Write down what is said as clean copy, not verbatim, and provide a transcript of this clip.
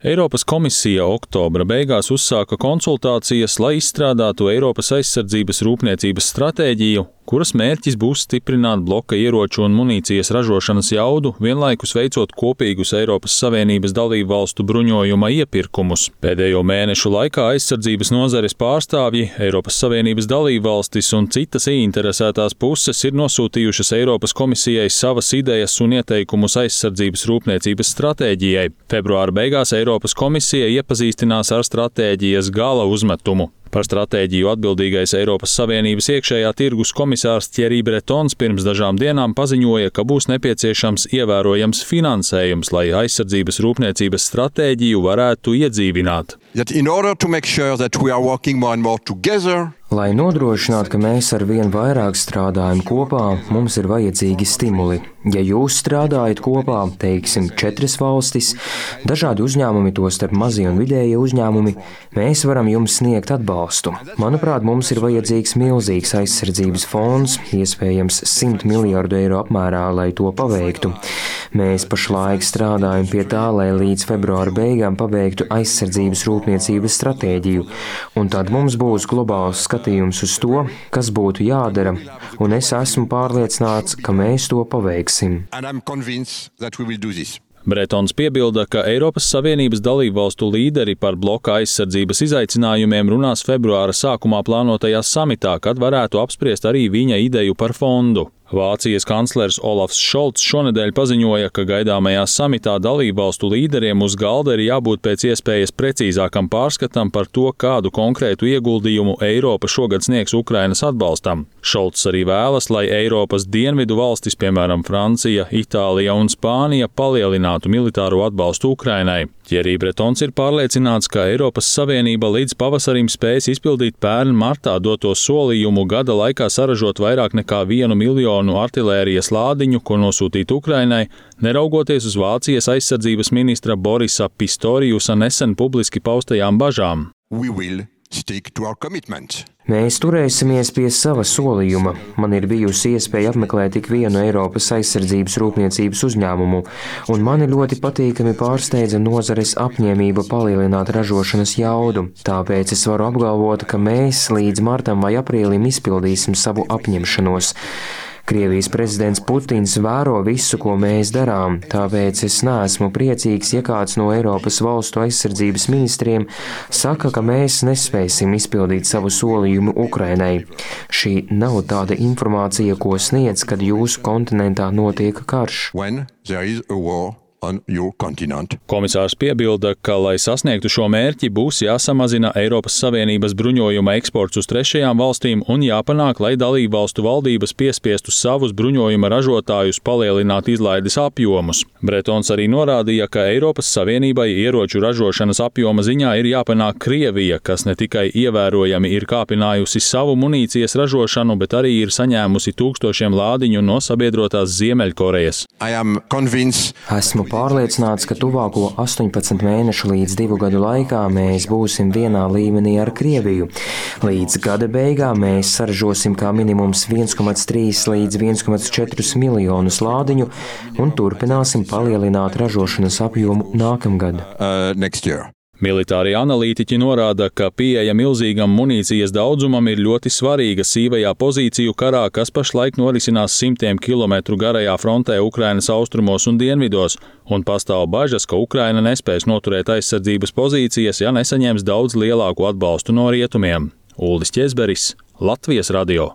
Eiropas komisija oktobra beigās uzsāka konsultācijas, lai izstrādātu Eiropas aizsardzības rūpniecības stratēģiju, kuras mērķis būs stiprināt bloka ieroču un munīcijas ražošanas jaudu, vienlaikus veicot kopīgus Eiropas Savienības dalību valstu bruņojuma iepirkumus. Pēdējo mēnešu laikā aizsardzības nozares pārstāvji, Eiropas Savienības dalību valstis un citas ieinteresētās puses ir nosūtījušas Eiropas komisijai savas idejas un ieteikumus aizsardzības rūpniecības stratēģijai. Februāra beigās Eiropas komisija iepazīstinās ar stratēģijas gala uzmetumu. Par stratēģiju atbildīgais Eiropas Savienības iekšējā tirgus komisārs Thierry Bretons pirms dažām dienām paziņoja, ka būs nepieciešams ievērojams finansējums, lai aizsardzības rūpniecības stratēģiju varētu iedzīvināt. Lai nodrošinātu, ka mēs ar vien vairāk strādājam kopā, mums ir vajadzīgi stimuli. Ja jūs strādājat kopā, teiksim, 4 valstis, dažādi uzņēmumi, tostarp mazie un vidējie uzņēmumi, mēs varam jums sniegt atbalstu. Manuprāt, mums ir vajadzīgs milzīgs aizsardzības fonds, iespējams 100 miljārdu eiro apmērā, lai to paveiktu. Mēs pašlaik strādājam pie tā, lai līdz februāra beigām pabeigtu aizsardzības rūpniecības stratēģiju, un tad mums būs globāls skatījums uz to, kas būtu jādara, un es esmu pārliecināts, ka mēs to paveiksim. Bretons piebilda, ka Eiropas Savienības dalību valstu līderi par bloka aizsardzības izaicinājumiem runās februāra sākumā plānotajā samitā, kad varētu apspriest arī viņa ideju par fondu. Vācijas kanclers Olafs Šolts šonedēļ paziņoja, ka gaidāmajā samitā dalībvalstu līderiem uz galda ir jābūt pēc iespējas precīzākam pārskatam par to, kādu konkrētu ieguldījumu Eiropa šogad sniegs Ukrainas atbalstam. Šolts arī vēlas, lai Eiropas dienvidu valstis, piemēram Francija, Itālija un Spānija, palielinātu militāro atbalstu Ukrainai. Thierry Bretons ir pārliecināts, ka Eiropas Savienība līdz pavasarim spēs izpildīt pērn martā doto solījumu gada laikā saražot vairāk nekā 1 miljonu artilērijas lādiņu, ko nosūtīt Ukrainai, neraugoties uz Vācijas aizsardzības ministra Borisa Pistoriusa nesen publiski paustajām bažām. Mēs turēsimies pie sava solījuma. Man ir bijusi iespēja apmeklēt tik vienu Eiropas aizsardzības rūpniecības uzņēmumu, un mani ļoti patīkami pārsteidza nozares apņēmība palielināt ražošanas jaudu. Tāpēc es varu apgalvot, ka mēs līdz martam vai aprīlim izpildīsim savu apņemšanos. Krievijas prezidents Putins vēro visu, ko mēs darām, tāpēc es neesmu priecīgs, ja kāds no Eiropas valstu aizsardzības ministriem saka, ka mēs nespēsim izpildīt savu solījumu Ukrainai. Šī nav tāda informācija, ko sniedz, kad jūsu kontinentā notiek karš. Komisārs piebilda, ka, lai sasniegtu šo mērķi, būs jāsamazina Eiropas Savienības bruņojuma eksports uz trešajām valstīm un jāpanāk, lai dalībvalstu valdības piespiestu savus bruņojuma ražotājus palielināt izlaides apjomus. Bretons arī norādīja, ka Eiropas Savienībai ieroču ražošanas apjoma ziņā ir jāpanāk Krievija, kas ne tikai ievērojami ir kāpinājusi savu munīcijas ražošanu, bet arī ir saņēmusi tūkstošiem lādiņu no sabiedrotās Ziemeļkorejas. Esmu pārliecināts, ka tuvāko 18 mēnešu līdz 2 gadu laikā mēs būsim vienā līmenī ar Krieviju. Līdz gada beigām mēs saražosim kā minimums 1,3 līdz 1,4 miljonus lādiņu un turpināsim palielināt ražošanas apjomu nākamgad. Militārie analītiķi norāda, ka pieeja milzīgam munīcijas daudzumam ir ļoti svarīga sīvajā pozīciju karā, kas pašlaik norisinās 100 kilometru garajā frontē Ukrainas austrumos un dienvidos, un pastāv bažas, ka Ukraina nespēs noturēt aizsardzības pozīcijas, ja nesaņems daudz lielāku atbalstu no rietumiem. Uldis Ķezberis, Latvijas radio.